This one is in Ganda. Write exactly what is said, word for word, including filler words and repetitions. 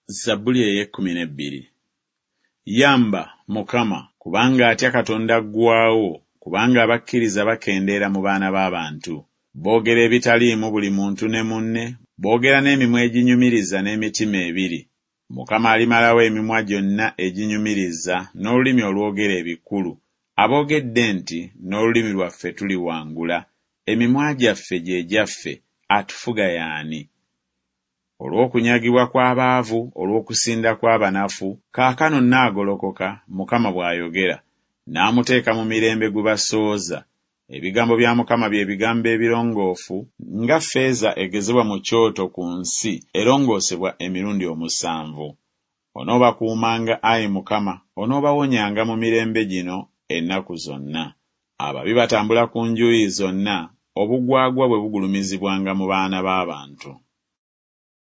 Zabbuli ey'ekkumi n'ebbiri. Yamba, Mukama, kubanga atya Katonda aggwaawo, kubanga abakkiriza bakendeera mu baana b'abantu. Boogera ebitaliimu buli muntu ne munne, boogera n'emimwa eginyumiriza n'emitima ebiri. Mukama alimalawo emimwa gyonna eginyumiriza n'olulimi olwogera ebikulu, aboogedde nti n'olulimi lwaffe tuliwangula, emimwa gyaffe gye gyaffe, atufuga y'ani? Olw'okunyagibwa kw'abaavu, olw'okusinda kw'abanafu, kaakano nnaagolokoka, Mukama bw'ayogera, n'amuteeka mu mirembe gwe basooza. Ebigambo bya Mukama bye bigambo ebirongoofu, nga ffeeza egezebwa mu kyoto ku nsi erongoosebwa emirundi omusanvu. Onoobakuumanga, ayi Mukama, onoobawonyanga mu mirembe gino ennaku zonna. Ababi batambula ku njuyi zonna, obugwagwa bwe bugulumizibwanga mu baana b'abantu.